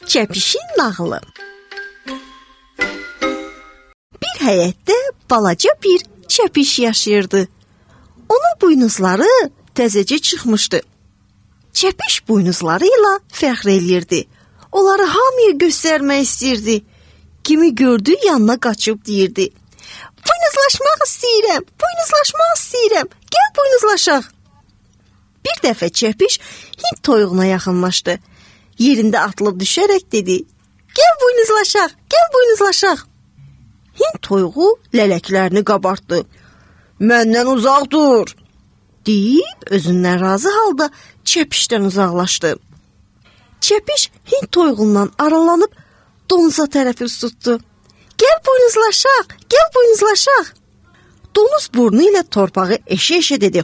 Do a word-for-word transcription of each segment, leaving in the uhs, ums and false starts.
Çəpişin nağılı. Bir həyətdə balaca bir çəpiş yaşayırdı. Onun buynuzları təzəcə çıxmışdı. Çəpiş buynuzları ilə fəxr eləyirdi. Onları hamıya göstərmək istəyirdi. Kimi gördü yanına qaçıb deyirdi: "Buynuzlaşmaq istəyirəm, buynuzlaşmaq istəyirəm. Gəl buynuzlaşaq." Bir dəfə çəpiş Hind toyuğuna yaxınlaşdı. Yerində atılıb düşərək dedi: "Gəl buynuzlaşaq, gəl buynuzlaşaq." Hind toyuğu lələklərini qabartdı. "Məndən uzaq dur," deyib özündən razı halda çəpişdən uzaqlaşdı. Çəpiş Hind toyuğundan aralanıb donuza tərəf üz tutdu. "Gəl buynuzlaşaq, gəl buynuzlaşaq." Donuz burnu ilə torpağı eşə-eşə dedi: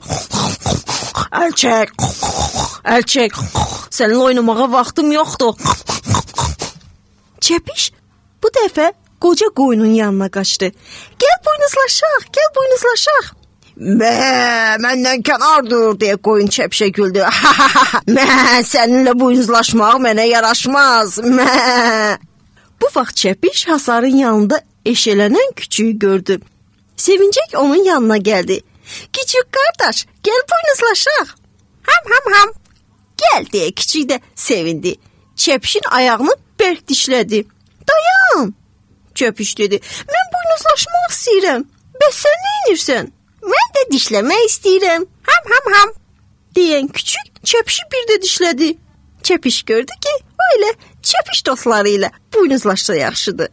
"Əl çək, əl çək, səninlə oynamağa vaxtım yoxdur." Çəpiş bu dəfə qoca qoyunun yanına qaçdı. "Gəl buynuzlaşaq, gəl buynuzlaşaq." "Mə, məndən kənar dur," deyə qoyun çəpişə güldü. "Mə, səninlə buynuzlaşmaq mənə yaraşmaz. Mə." Bu vaxt çəpiş hasarın yanında eşələnən küçüyü gördü. Sevincək onun yanına gəldi. "Küçük qardaş, gəl buynuzlaşaq." "Ham ham ham." "Gəl," deyə küçük də sevindi. Çəpişin ayağını bərk dişlədi. "Dayan," çəpiş dedi. "Mən buynuzlaşmaq istəyirəm. Bəs sən nə edirsən?" "Mən də dişləmək istəyirəm." "Ham ham ham." deyən küçük çəpişi bir də dişlədi. Çəpiş gördü ki, o ilə çəpiş dostları ilə buynuzlaşsa yaxşıdır.